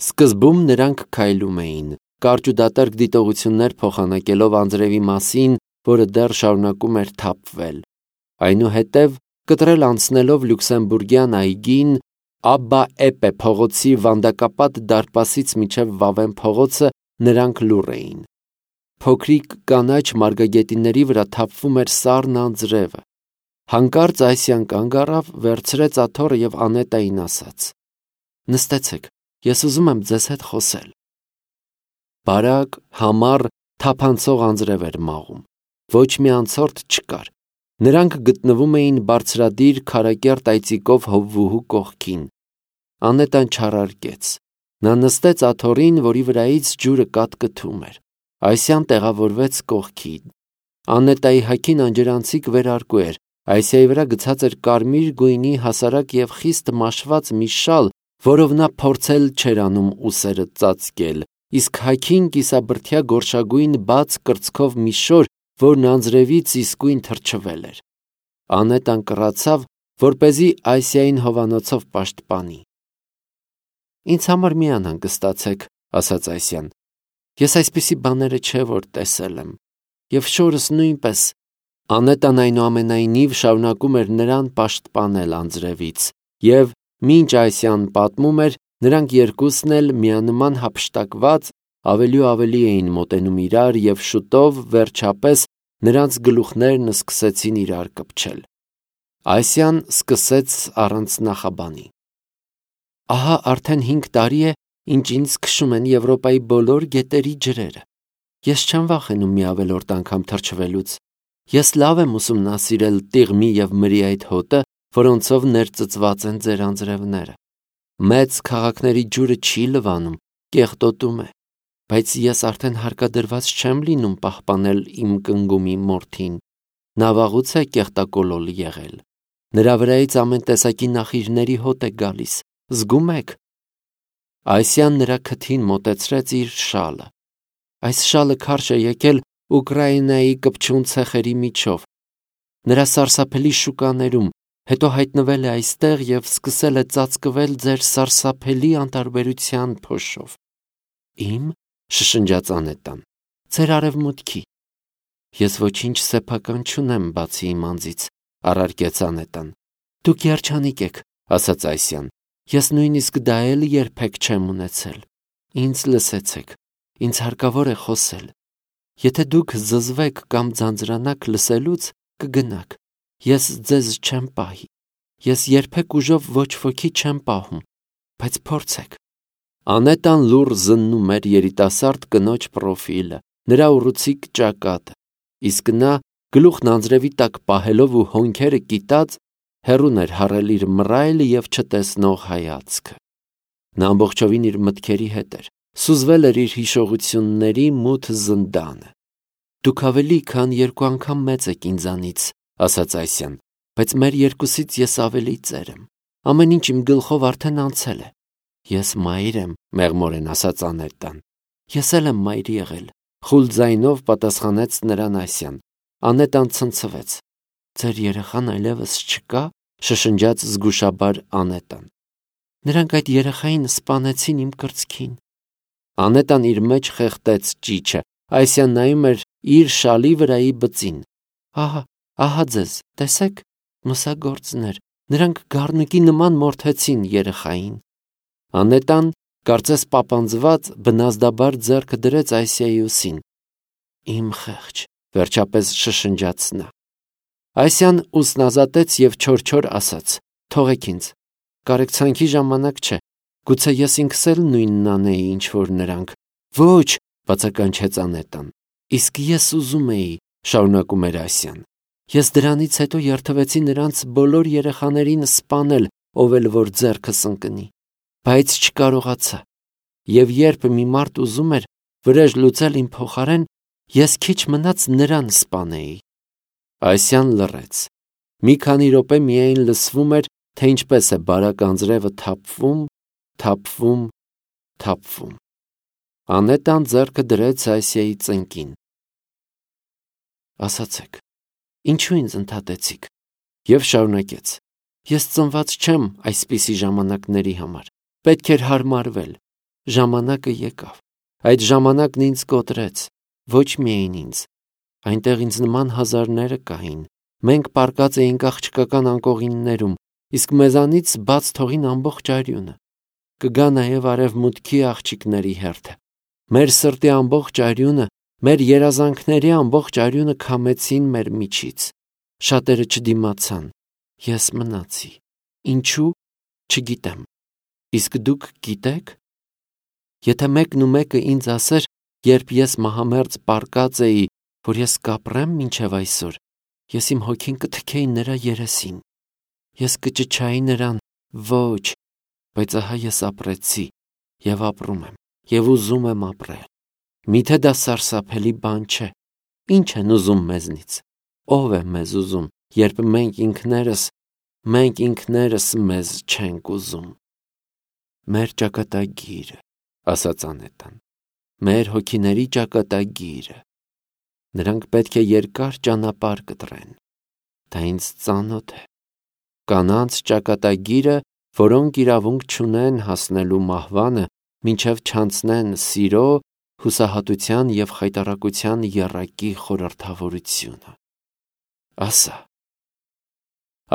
Սկզբում նրանք քայլում էին, կարճ ու դատարկ դիտողություններ փոխանակելով անձրևի մասին, որը դեռ շարունակում էր թափվել։ Այնուհետև, կտրել անցնելով Լյուքսեմբուրգյան այգին, Աբբա Էպե փողոցի վանդակապատ դարպասից մինչև Վավեն փողոցը նրանք լուռ էին։ Փոքրիկ կանաչ մարգագետինների վրա թափվում էր սառն անձրևը։ Հանկարծ Այսիան կանգ առավ, վերցրեց աթոռը և Անետային ասաց. «Նստեցեք, ես ուզում եմ ձեզ հետ խոսել»։ Բարակ, համառ, թափանցող անձրև էր մաղում։ Ոչ մի անցորդ չկար։ Նրանք գտնվում էին բարձրադիր քարակերտ այծիկով հովվուհու կողքին։ Անետան չարարկեց։ Նա նստեց աթոռին, որի վրայից ջուրը կաթկթում էր։ Այսիան տեղավորվեց կողքին։ Անետայի հագին անջրանցիկ վերարկու էր։ Այսիայի վրա գցած էր կարմիր գույնի հասարակ և խիստ մաշված մի շալ, որով նա փորձել չէր անում ուսերը ծածկել, իսկ հագին կիսաբրդյա գորշագույն բաց կրծքով մի շոր, որն անձրևից իսկույն թրջվել էր։ Անետան կռացավ, որպեսզի Այսիային հովանոցով պաշտպանի։ «Ինձ համար մի անհանգստացեք», ասաց Այսիան։ «Ես այսպիսի բաները չէ որ տեսել եմ, և շորս նույնպես»։ Անետան այնուամենայնիվ շարունակում էր նրան պաշտպանել անձրևից, և, մինչ Այսիան պատմում էր, նրանք երկուսն էլ միանման հափշտակված ավելի ու ավելի էին մոտենում իրար, և շուտով, վերջապես, նրանց գլուխներն սկսեցին իրար կպչել։ Այսիան սկսեց առանց նախաբանի. «Ահա արդեն 5 տարի է, ինչ ինձ քշում են Եվրոպայի բոլոր գետերի ջրերը։ Ես չեմ վախենում մի ավելորդ անգամ թրջվելուց։ Ես լավ եմ ուսումնասիրել Տիղմի և Մրի այդ հոտը, որոնցով ներծծված են ձեր անձրևները։ Մեծ քաղաքների ջուրը չի լվանում, կեղտոտում է, բայց ես արդեն հարկադրված չեմ լինում պահպանել իմ կնգումի մորթին։ Նա վաղուց է կեղտակոլոլ եղել։ Նրա վրայից ամեն տեսակի նախիրների հոտ է գալիս, զգում եք»։ Այսիան նրա քթին մոտեցրեց իր շալը։ Այս շալը քարշ է եկել Ուկրաինայի կպչուն ցեխերի միջով, նրա սարսափելի շուկաներում, հետո հայտնվել է այստեղ և սկսել է ծածկվել ձեր սարսափելի անտարբերության փոշով։ «Իմ»։ շշնջաց Անետան։ «Ձեր արևմուտքի»։ «Ես ոչինչ սեփական չունեմ, բացի իմ անձից», առարկեց Անետան։ «Դուք երջանիկ եք», ասաց Այսիան։ «Ես նույնիսկ դա էլ երբեք չեմ ունեցել։ Ինձ լսեցեք, ինձ հարկավոր է խոսել։ Եթե դուք զզվեք կամ ձանձրանաք լսելուց, կգնաք։ Ես ձեզ չեմ պահի։ Ես երբեք ուժով ոչ ոքի չեմ պահում, բայց փորձեք»։ Անետան լուռ զննում էր երիտասարդ կնոջ պրոֆիլը, նրա ուռուցիկ ճակատը, իսկ նա, գլուխն անձրևի տակ պահելով ու հոնքերը կիտած, հեռուն էր հառել իր մռայլ և չտեսնող հայացքը։ Նա ամբողջովին իր մտքերի հետ էր, սուզվել էր իր հիշողությունների մութ զնդանը։ «Դուք ավելի քան 2 անգամ մեծ եք ինձանից», ասաց Այսիան, «բայց մեր երկուսից ես ավելի ծեր եմ։ Ամեն ինչ իմ գլխով արդեն անցել է»։ «Ես մայր եմ», մեղմորեն ասաց Անետան։ «Ես էլ եմ մայր եղել», խուլ ձայնով պատասխանեց նրան Այսիան։ Անետան ցնցվեց։ «Ձեր երեխան այլևս չկա»։ շշնջաց զգուշաբար Անետան։ «Նրանք այդ երեխային սպանեցին իմ կրծքին»։ Անետան իր մեջ խեղդեց ճիչը։ Այսիան նայում էր իր շալի վրայի բծին։ Ահա ձեզ, տեսեք, մսագործներ, նրանք գառնուկի նման մորթեցին երեխային։ Անետան, կարծես պապանձված, բնազդաբար ձեռքը դրեց Այսիայի ուսին։ «Իմ խեղճ», վերջապես շշնջաց նա։ Այսիան ուսն ազատեց և չոր ասաց. «Թողեք ինձ, կարեկցանքի ժամանակ չէ, գուցե ես ինքս էլ նույնն անեի, ինչ որ նրանք»։ «Ոչ», բացականչեց Անետան։ «Իսկ ես ուզում էի», շարունակում էր Այսիան։ «Ես դրանից հետո երդվեցի նրանց բոլոր երեխաներին սպանել, ով էլ որ ձեռքս ընկնի, բայց չկարողացա։ Եվ երբ մի մարդ ուզում էր վրեժ լուծել իմ փոխարեն, ես քիչ մնաց նրան սպանեի»։ Այսիան լռեց։ Մի քանի րոպե միայն լսվում էր, թե ինչպես է բարակ անձրևը թափվում։ Անետան ձեռքը դրեց Այսիայի ծնկին։ «Ասացեք, ինչու ինձ ընդհատեցիք»։ Եվ շարունակեց. «Ես ծնված չեմ այսպիսի ժամանակների համար։ Պետք էր հարմարվել։ ժամանակը եկավ։ Այդ ժամանակն ինձ կոտրեց, ոչ միայն ինձ, այնտեղ ինձ նման հազարները կային։ Մենք պառկած էինք աղջկական անկողիններում, իսկ մեզանից բաց թողին ամբողջ արյունը։ Կգա նաև արևմուտքի աղջիկների հերթը։ Մեր սրտի ամբողջ արյունը, մեր երազանքների ամբողջ արյունը քամեցին մեր միջից։ Շատերը չդիմացան, ես մնացի։ Ինչու՞, չգիտեմ։ Իսկ դուք գիտեք։ Եթե մեկն ու մեկը ինձ ասեր, երբ ես մահամերձ պառկած էի, որ ես կապրեմ մինչև այսօր, ես իմ հոգին կթքեի նրա երեսին։ Ես կճչայի նրան, ոչ, բայց ահա ես ապրեցի և ապրում եմ և ուզում եմ ապրել։ Միթե դա սարսափելի բան չէ։ Ինչ են ուզում մեզնից։ Ո՞վ է մեզ ուզում, երբ մենք ինքներս մեզ չենք ուզում։ Մեր ճակատագիրը, ասաց Անետան, մեր հոգիների ճակատագիրը։ Նրանք պետք է երկար ճանապարհ կտրեն։ Դա ինձ ծանոթ է։ Կանանց ճակատագիրը, որոնք իրավունք չունեն հասնելու մահվանը, մինչև չանցնեն սիրո, հուսահատության և խայտառակության եռակի խորհրդավորությունը։ Ասա։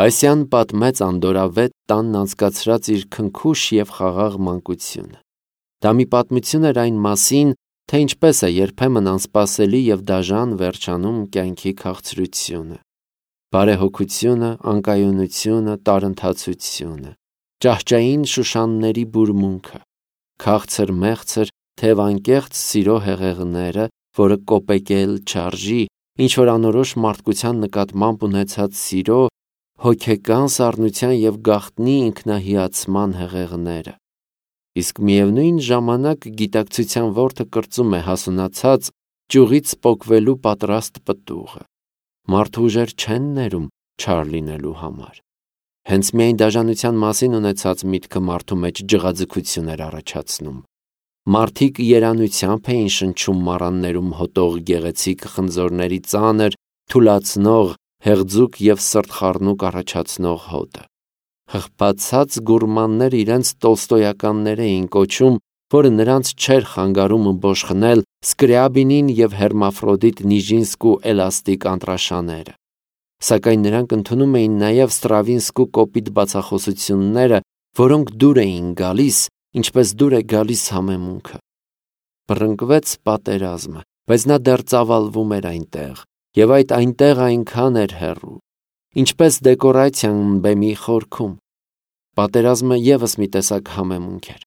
Այսյան պատմեց Անդորավետ տանն անցկացրած իր քնքուշ և խաղաղ մանկությունը։ Դա մի պատմություն էր այն մասին, թե ինչպես է երբեմն անսպասելի և դաժան վերջանում կյանքի քաղցրությունը, բարեհոգությունը, անկայունությունը, տարընթացությունը, ճահճային շուշանների բուրմունքը, քաղցր-մեղցր, թևանկեղծ սիրո հեղեղները, որը կոպեկել չարժի, ինչ-որ անորոշ մարդկության նկատմամբ ունեցած սիրո, հոգեկան սառնության և գաղտնի ինքնահիացման հեղեղները։ Իսկ միևնույն ժամանակ գիտակցության որդը կրծում է հասունացած, ճյուղից պոկվելու պատրաստ պտուղը։ Մարդու ուժեր չեն ներում չար լինելու համար։ Հենց միայն դաժանության մասին ունեցած միտքը մարդու մեջ ջղաձգություն էր առաջացնում։ Մարդիկ երանությամբ էին շնչում մառաններում հոտող գեղեցիկ խնձորների ծանր, թուլացնող, հեղձուկ և սրտխառնուկ առաջացնող հոտը։ Հղբացած գուրմանները իրենց տոլստոյականներ էին կոչում, որը նրանց չէր խանգարում բոշխնել Սկրյաբինին և Հերմաֆրոդիտ Նիժինսկու էլաստիկ անտրաշաները։ Սակայն նրանք ընդունում էին նաև Ստրավինսկու կոպիտ բացախոսությունները, որոնք դուր էին գալիս, ինչպես դուր է գալիս համեմունքը։ Բռնկվեց պատերազմը, բայց նա դեռ ծավալվում էր այնտեղ, և այդ այնտեղ այնքան էր հեռու, ինչպես դեկորացիան բեմի խորքում։ Պատերազմը ևս մի տեսակ համեմունք էր,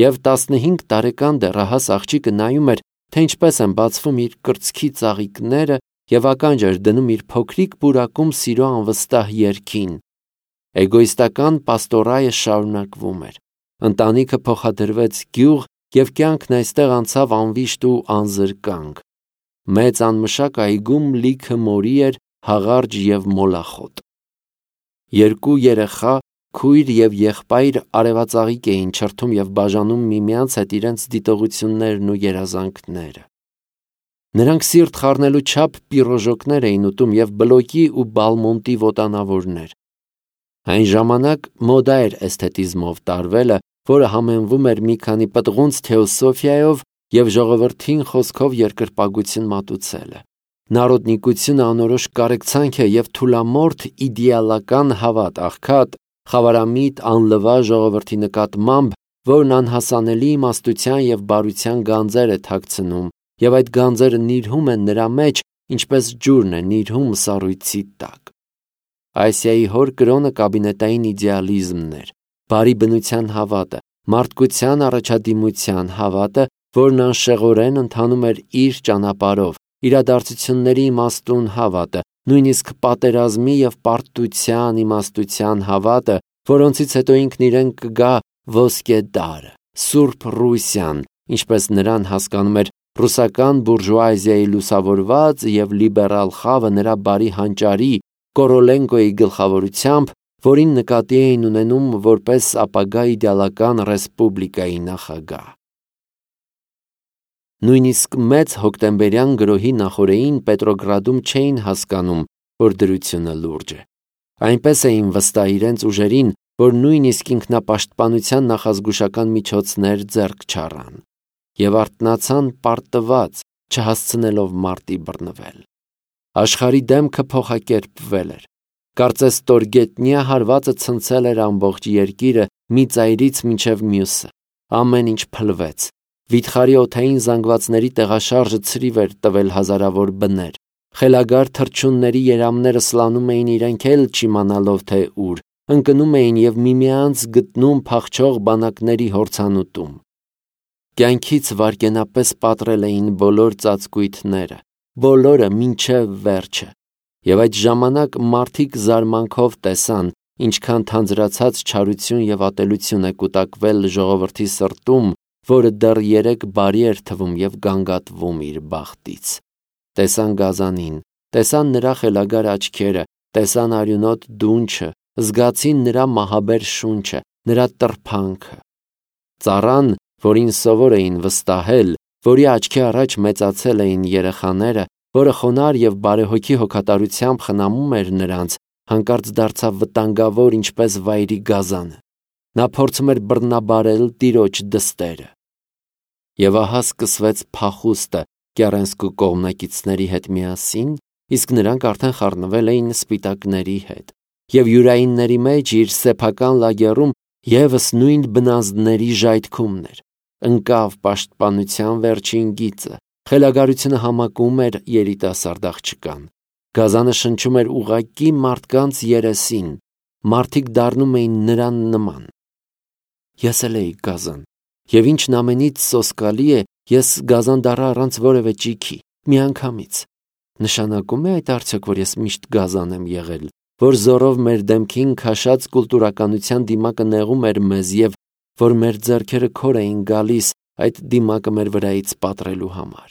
և 15 տարեկան դեռահաս աղջիկը նայում էր, թե ինչպես են բացվում իր կրծքի ծաղիկները և ականջ էր դնում իր փոքրիկ պուրակում սիրո անվստահ երգին։ Էգոիստական պաստորայը շարունակվում էր։ Ընտանիքը փոխադրվեց գյուղ, և կյանքն այստեղ անցավ անվիշտ ու անզրկանք։ Մեծ անմշակ այգում լիքը մորի էր, հաղարջ և մոլախոտ։ Երկու երեխա, քույր և եղբայր արևածաղիկ էին չրթում և բաժանում միմյանց հետ իրենց դիտողություններն ու երազանքները։ Նրանք սիրտ խառնելու չափ պիրոժոկներ էին ուտում և բլոկի ու բալմոնտի ոտանավորներ։ Այն ժամանակ մոդա էր էսթետիզմով տարվելը, որը համեմվում էր մի քանի պտղունց թեոսոֆիայով և ժողովրդին խոսքով երկրպագություն մատուցելը։ Նարոդնիկությունը անորոշ կարեկցանք է և թուլամորթ իդեալական հավատ, աղքատ, խավարամիտ, անլվա ժողովրդի նկատմամբ, որն անհասանելի իմաստության և բարության գանձեր է թաքցնում, և այդ գանձերը նիրհում են նրա մեջ, ինչպես ջուրն է նիրհում սառույցի տակ։ Ասիայի հոր կրոնը կաբինետային իդեալիզմն էր, բարի բնության հավատը, մարդկության առաջադիմության հավատը, որն անշեղորեն ընթանում էր իր ճանապարհով, իրադարձությունների իմաստուն հավատը, նույնիսկ պատերազմի և պարտության իմաստության հավատը, որոնցից հետո ինքն իրեն կգա ոսկե դարը, Սուրբ Ռուսիան, ինչպես նրան հասկանում էր ռուսական բուրժուազիայի լուսավորված և լիբերալ խավը նրա բարի հանճարի Կորոլենկոյի գլխավորությամբ, որին նկատի էին ունենում որպես ապագա իդեալական ռեսպուբլիկայի նախագահ։ Նույնիսկ մեծ հոկտեմբերյան գրոհի նախօրեին Պետրոգրադում չէին հասկանում, որ դրությունը լուրջ է։ Այնպես էին վստահ իրենց ուժերին, որ նույնիսկ ինքնապաշտպանության նախազգուշական միջոցներ ձեռք չառան և արթնացան պարտված, չհասցնելով մարտի բռնվել։ Աշխարհի դեմքը փոխակերպվել էր։ Կարծես ստորգետնյա հարվածը ցնցել էր ամբողջ երկիրը մի ծայրից մինչև մյուսը։ Ամեն ինչ փլվեց։ Վիթխարի օդային զանգվածների տեղաշարժը ցրիվ էր տվել հազարավոր բներ։ Խելագար թռչունների երամները սլանում էին իրենք էլ չիմանալով թե ուր, ընկնում էին և միմյանց գտնում փախչող բանակների հորցանուտում։ Կյանքից վայրկենապես պատռել էին բոլոր ծածկույթները, բոլորը մինչև վերջը։ Եվ այդ ժամանակ մարդիկ զարմանքով տեսան, ինչքան թանձրացած չարություն և ատելություն է կուտակվել ժողովրդի սրտում, որը դեռ երեկ բարի էր թվում և գանգատվում իր բախտից։ Տեսան գազանին, տեսան նրա խելագար աչքերը, տեսան արյունոտ դունչը, զգացին նրա մահաբեր շունչը, նրա տրփանքը։ Ծառան, որին սովոր էին վստահել, որի աչքի առաջ մեծացել էին երեխաները, որը խոնարհ և բարեհոգի հոգատարությամբ խնամում էր նրանց, հանկարծ դարձավ վտանգավոր ինչպես վայրի գազանը։ Նա փորձում էր բռնաբարել տիրոջ դստերը։ Եվ ահա սկսվեց փախուստը Կեռենսկու կողմնակիցների հետ միասին, իսկ նրանք արդեն խառնվել էին սպիտակների հետ։ Եվ յուրայինների մեջ իր սեփական լագեռում ևս նույն բնազդների ժայթքումն էր։ Ընկավ պաշտպանության վերջին գիծը։ Խելագարությունը համակում էր երիտասարդ աղջկան։ Գազանը շնչում էր ուղղակի մարդկանց երեսին։ Մարդիկ դառնում էին նրան նման։ Ես էլ էի գազան։ Եվ ինչն ամենից սոսկալի է, ես գազան դառա առանց որևէ ճիգի, միանգամից։ Նշանակում է այդ արդյոք, որ ես միշտ գազան եմ եղել, որ զորով մեր դեմքին քաշած կուլտուրականության դիմակը նեղում էր մեզ և որ մեր ձեռքերը քոր էին գալիս այդ դիմակը մեր վրայից պատռելու համար։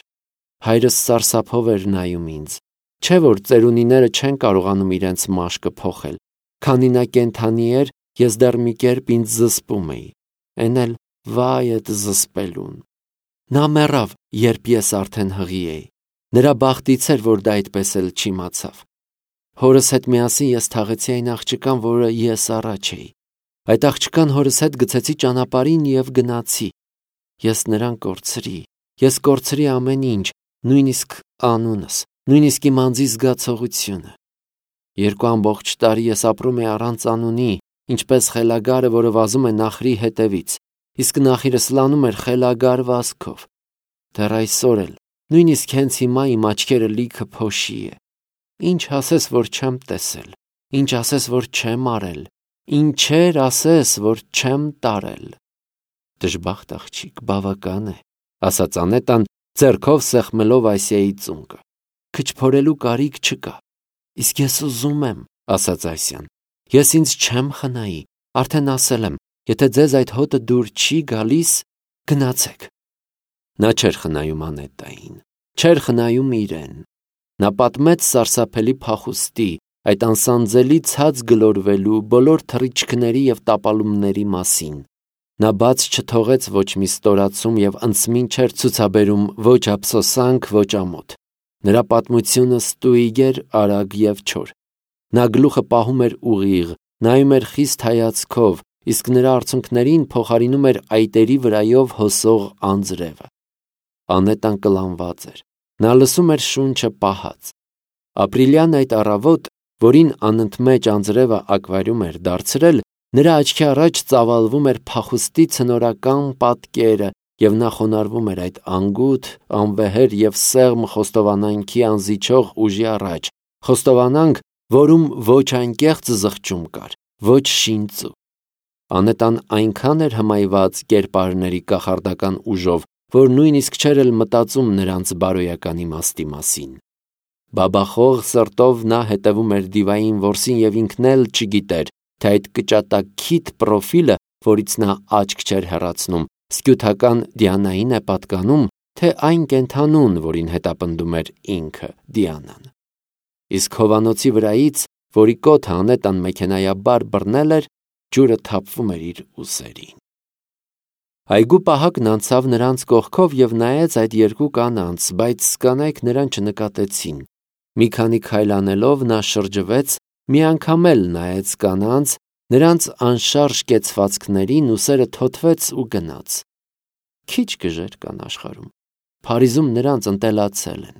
Հայրս սարսափով էր նայում ինձ։ Չէ՞ որ ծերունիները չեն կարողանում իրենց մաշկը փոխել։ Քանի նա կենդանի էր, ես դեռ մի կերպ ինձ զսպում էի։ Էն էլ վայ էդ զսպելուն։ Նա մեռավ, երբ ես արդեն հղի էի։ Նրա բախտից էր, որ դա այդպես էլ չիմացավ։ Հորս հետ միասին ես թաղեցի այն աղջկան, որը ես առաջ էի։ Այդ աղջկան հորս հետ գցեցի ճանապարհին և գնացի։ Ես նրան կորցրի։ Ես կորցրի ամեն ինչ, նույնիսկ անունս, նույնիսկ իմ անձի զգացողությունը։ 2 ամբողջ տարի ես ապրում էի առանց անունի, ինչպես խելագարը, որը վազում է նախրի հետևից, իսկ նախիրը սլանում էր խելագար վազքով։ Դեռ այսօր էլ, նույնիսկ հենց հիմա իմ աչքերը լիքը փոշի է։ Ինչ ասես, որ չեմ տեսել, ինչ ասես, որ չեմ արել, ինչեր ասես, որ չեմ տարել։ Դժբախտ աղջիկ, բավական է, ասաց Անետան, ձեռքով սեղմելով Ասիայի ծունկը։ Քչփորելու կարիք չկա։ Իսկ ես ուզում եմ, ասաց Ասիան։ Ես ինձ չեմ խնայի, արդեն ասել եմ, եթե ձեզ այդ հոտը դուր չի գալիս, գնացեք։ Նա չէր խնայում Անետային, չէր խնայում իրեն։ Նա պատմեց սարսափելի փախուստի, այդ անսանձելի ցած գլորվելու, բոլոր թռիչքների և տապալումների մասին։ Նա բաց չթողեց ոչ մի ստորացում և անցմին չէր ցուցաբերում ոչ ափսոսանք, ոչ ամոթ։ Նրա պատմությունը ստույգ էր, արագ և չոր։ Նա գլուխը պահում էր ուղիղ, նայում էր խիստ հայացքով, իսկ նրա արցունքներին փոխարինում էր այտերի վրայով հոսող անձրևը։ Անետան կլանված էր։ Նա լսում էր շունչը պահած։ Ապրիլյան այդ առավոտ, որին անընդմեջ անձրևը ակվարիում էր դարձրել, նրա աչքի առաջ ծավալվում էր փախուստի ցնորական պատկերը, և նա խոնարհվում էր այդ անգութ, անվեհեր և սեղմ խոստովանանքի անզիջող ուժի առաջ, խոստովանանք, որում ոչ անկեղծ զղջում կար, ոչ շինծու։ Անետան այնքան էր հմայված կերպարների կախարդական ուժով, որ նույնիսկ չէր էլ մտածում նրանց բարոյական իմաստի մասին։ Բաբախող սրտով նա հետևում էր դիվային որսին և ինքն էլ չգիտեր, թե այդ կճատակիթ պրոֆիլը, որից նա աչք չէր հեռացնում, սկյութական Դիանային է պատկանում, թե այն կենդանուն, որին հետապնդում էր ինքը Դիանան։ Իսկ հովանոցի վրայից, որի կոթը Անետան մեքենայաբար բռնել էր, ջուրը թափվում էր իր ուսերին։ Այգու պահակն անցավ նրանց կողքով և նայեց այդ 2 կանանց, բայց կանայք նրան չնկատեցին։ Մի քանի քայլ անելով նա շրջվեց, մի անգամ էլ նայեց կանանց Նրանց անշարժ կեցվածքներին ու սերը թոթվեց ու գնաց։ Քիչ գժեր կան աշխարհում, Փարիզում նրանց ընտելացել են։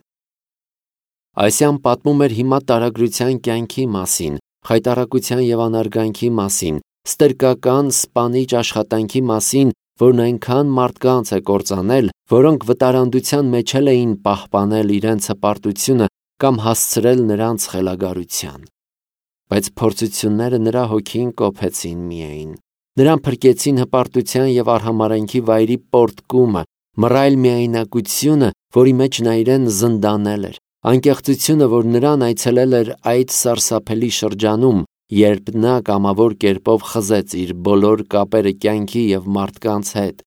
Այսյան պատմում էր հիմա տարագրության կյանքի մասին, խայտառակության և անարգանքի մասին, ստրկական սպանիչ աշխատանքի մասին, որն այնքան մարդկանց է կործանել, որոնք վտարանդության մեջ էին պահպանել իրենց հպարտությունը կամ հասցրել նրանց խելագարության։ Բայց փորձությունները նրա հոգին կոփեցին միայն։ Նրան փրկեցին հպարտության և արհամարհանքի վայրի պոռթկումը, մռայլ միայնակությունը, որի մեջ նա իրեն զնդանել էր, անկեղծությունը, որ նրան այցելել էր այդ սարսափելի շրջանում, երբ նա կամավոր կերպով խզեց իր բոլոր կապերը կյանքի և մարդկանց հետ,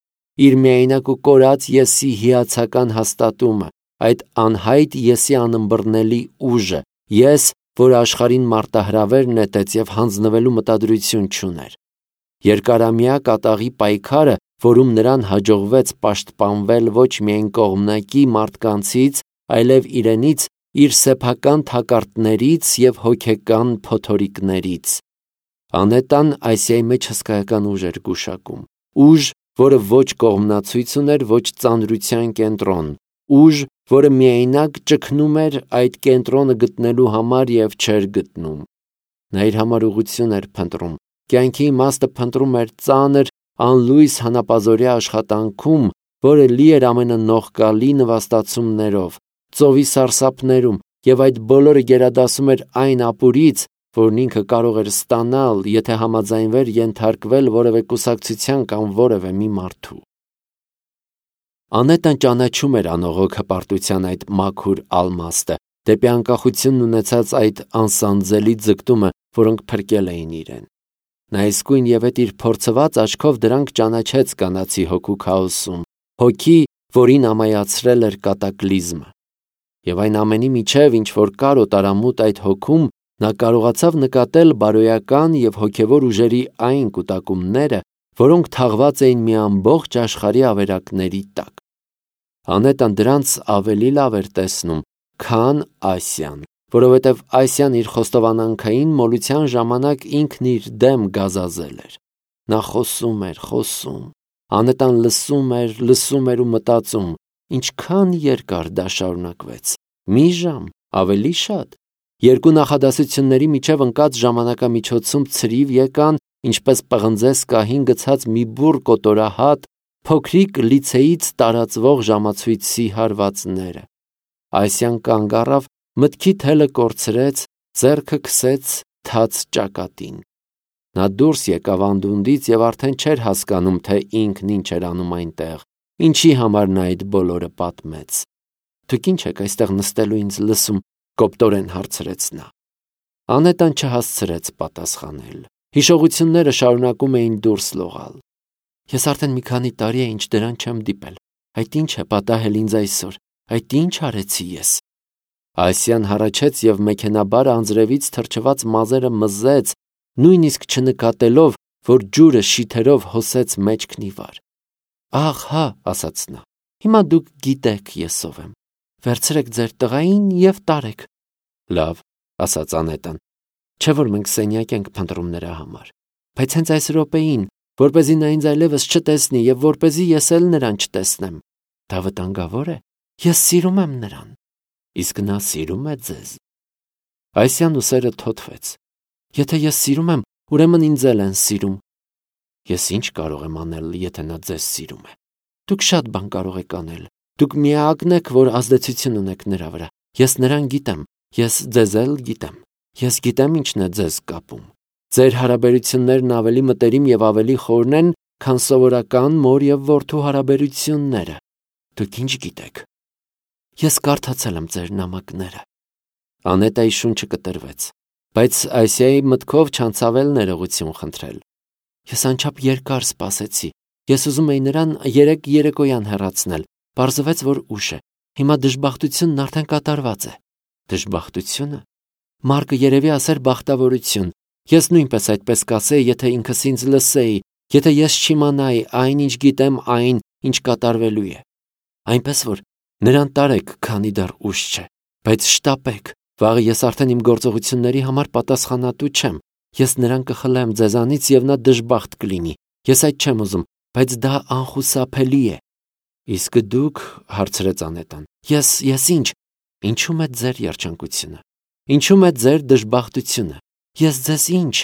իր միայնակ ու կորած եսի հիացական հաստատումը, այդ անհայտ եսի անըմբռնելի ուժը, ես, որ աշխարհին մարտահրավեր նետեց և հանձնվելու մտադրություն չուներ։ Երկարամյա կատաղի պայքարը, որում նրան հաջողվեց պաշտպանվել ոչ միայն կողմնակի մարդկանցից, այլև իրենից, իր սեփական թակարդներից և հոգեկան փոթորիկներից։ Անետան Ասիայի մեջ հսկայական ուժ էր գուշակում, ուժ, որը ոչ կողմնացույց ուներ, ոչ ծանրության կենտրոն, ուժ, որը միայնակ ճգնում էր այդ կենտրոնը գտնելու համար և չէր գտնում։ Նա իր համար ուղղություն էր փնտրում, կյանքի իմաստը փնտրում էր ծանր, անլույս հանապազօրյա աշխատանքում, որը լի էր ամենանողկալի նվաստացումներով, ծովի սարսափներում, և այդ բոլորը գերադասում էր այն ապուրից, որն ինքը կարող էր ստանալ, եթե համաձայնվեր ենթարկվել որևէ կուսակցության կամ որևէ մի մարդու։ Անետան ճանաչում էր անողոք հպարտության այդ մաքուր ալմաստը, դեպի անկախությունն ունեցած այդ անսանձելի ձգտումը, որոնք փրկել էին իրեն։ Նա իսկույն և այդ իր փորձված աչքով դրանք ճանաչեց կանացի հոգու քաոսում, հոգի, որին ամայացրել էր կատակլիզմը։ Եվ այն ամենի միջև, ինչ որ կար օտարամուտ այդ հոգում, նա կարողացավ նկատել բարոյական և հոգևոր ուժերի այն կուտակումները, որոնք թաղված էին մի ամբողջ աշխարհի ավերակների տակ։ Անետան դրանց ավելի լավ էր տեսնում, քան Ասիան, որովհետև Ասիան իր խոստովանանքային մոլության ժամանակ ինքն իր դեմ գազազել էր։ Նա խոսում էր, Անետան լսում էր ու մտածում, ինչքան երկար դա շարունակվեց։ Մի ժամ, ավելի շատ։ Երկու նախադասությունների միջև ընկած ժամանակամիջոցում ցրիվ եկան, ինչպես պղնձես կահին գցած մի բուռ կոտորահատ, փոքրիկ լիցեից տարածվող ժամացույցի հարվածները։ Ասիան կանգ առավ, մտքի թելը կորցրեց, ձեռքը քսեց թաց ճակատին։ Նա դուրս եկավ անդունդից և արդեն չէր հասկանում, թե ինքն ինչ էր անում այնտեղ, ինչի համար նա այդ բոլորը պատմեց։ Դուք ինչ եք այստեղ նստելու ինձ լսում, կոպտորեն հարցրեց նա։ Անետան չհասցրեց պատասխանել։ Հիշողությունները շարունակում էին դուրս լողալ։ Ես արդեն մի քանի տարի է, ինչ դրան չեմ դիպել։ Այդ ինչ է պատահել ինձ այսօր, այդ ինչ արեցի ես։ Ասիան հառաչեց և մեքենաբար անձրևից թրջված մազերը մզեց, նույնիսկ չնկատելով, որ ջուրը շիթերով հոսեց մեջքն ի վար։ Ահ, հա, ասաց նա, հիմա դուք գիտեք ես ով եմ։ Վերցրեք ձեր տղային և տարեք։ Լավ, ասաց Անետան, չէ՞ որ մենք սենյակ ենք փնտրում նրա համար։ Բայց հենց այս րոպեին, որպեսզի նա ինձ այլևս չտեսնի և որպեսզի ես էլ նրան չտեսնեմ։ Դա վտանգավոր է։ Ես սիրում եմ նրան։ Իսկ նա սիրում է ձեզ։ Ասիան ուսերը թոթվեց։ Եթե ես սիրում եմ, ուրեմն ինձ էլ են սիրում։ Ես ինչ կարող եմ անել, եթե նա ձեզ սիրում է։ Դուք շատ բան կարող եք անել։ Դուք միակն եք, որ ազդեցություն ունեք նրա վրա։ Ես նրան գիտեմ, ես ձեզ էլ գիտեմ։ Ես գիտեմ ինչն է ձեզ կապում։ Ձեր հարաբերություններն ավելի մտերիմ և ավելի խորն են, քան սովորական մոր և որդու հարաբերությունները։ Դուք ինչ գիտեք։ Ես կարդացել եմ ձեր նամակները։ Անետայի շունչը կտրվեց, բայց Ասիայի մտքով չանցավ էլ ներողություն խնդրել։ Ես անչափ երկար սպասեցի։ Ես ուզում էի նրան երեկ երեկոյան հեռացնել։ Պարզվեց, որ ուշ է։ Հիմա դժբախտությունն արդեն կատարված է։ Դժբախտությունը։ Մարկը երևի ասեր բախտավորություն։ Ես նույնպես այդպես կասեի, եթե ինքս ինձ լսեի, եթե ես չիմանայի այն, ինչ գիտեմ, այն, ինչ կատարվելու է։ Այնպես որ նրան տարեք, քանի դեռ ուշ չէ, բայց շտապեք, վաղը ես արդեն իմ գործողությունների համար պատասխանատու չեմ, Ես նրան կխլեմ ձեզանից և նա դժբախտ կլինի։ Ես այդ չեմ ուզում, բայց դա անխուսափելի է։ Իսկ դուք, հարցրեց Անետան, ես ինչ։ Ինչու՞մ է ձեր երջանկությունը։ Ինչու՞մ է ձեր դժբախտությունը։ Ես ձեզ ինչ։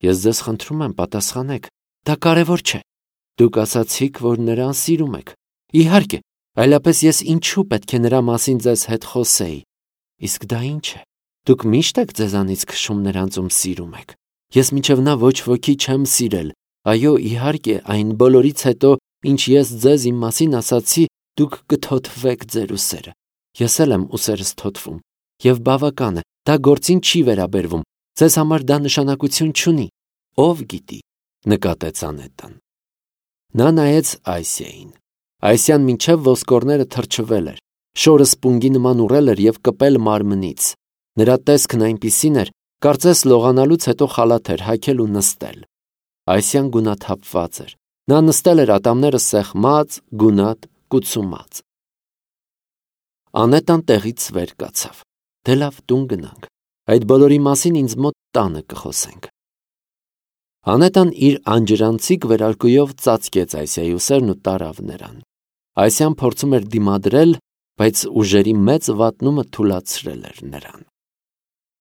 Ես ձեզ խնդրում եմ, պատասխանեք։ Դա կարևոր չէ։ Դուք ասացիք, որ նրան սիրում եք։ Իհարկե, այլապես ես ինչու պետք է նրա մասին ձեզ հետ խոսեի։ Իսկ դա ինչ է։ Դուք միշտ եք ձեզանից քշում նրանց, ում սիրում եք։ Ես մինչև նա ոչ ոքի չեմ սիրել։ Այո, իհարկե, այն բոլորից հետո, ինչ ես ձեզ իմ մասին ասացի, դուք կթոթվեք ձեր ուսերը։ Ես էլ եմ ուսերս թոթվում։ Եվ բավական է, դա գործին չի վերաբերվում։ Ձեզ համար դա նշանակություն չունի։ Ով գիտի, նկատեց Անետան։ Նա նայեց Այսիային։ Այսիան մինչև ոսկորները թրջվել էր, շորը սպունգի նման ուռել էր և կպել մարմնից։ Նրա տեսքն այնպիսին էր, կարծես լողանալուց հետո խալաթ էր հագել ու նստել։ Այսիան գունաթափված էր։ Նա նստել էր ատամները սեղմած, գունատ, կուծումած։ Անետան տեղից վեր կացավ։ Դե լավ, տուն գնանք։ Այդ բոլորի մասին ինձ մոտ տանը կխոսենք։ Անետան իր անջրանցիկ վերարկուով ծածկեց Այսիայի ուսերն ու տարավ նրան։ Այսիան փորձում էր դիմադրել, բայց ուժերի մեծ վատնումը թուլացրել էր նրան։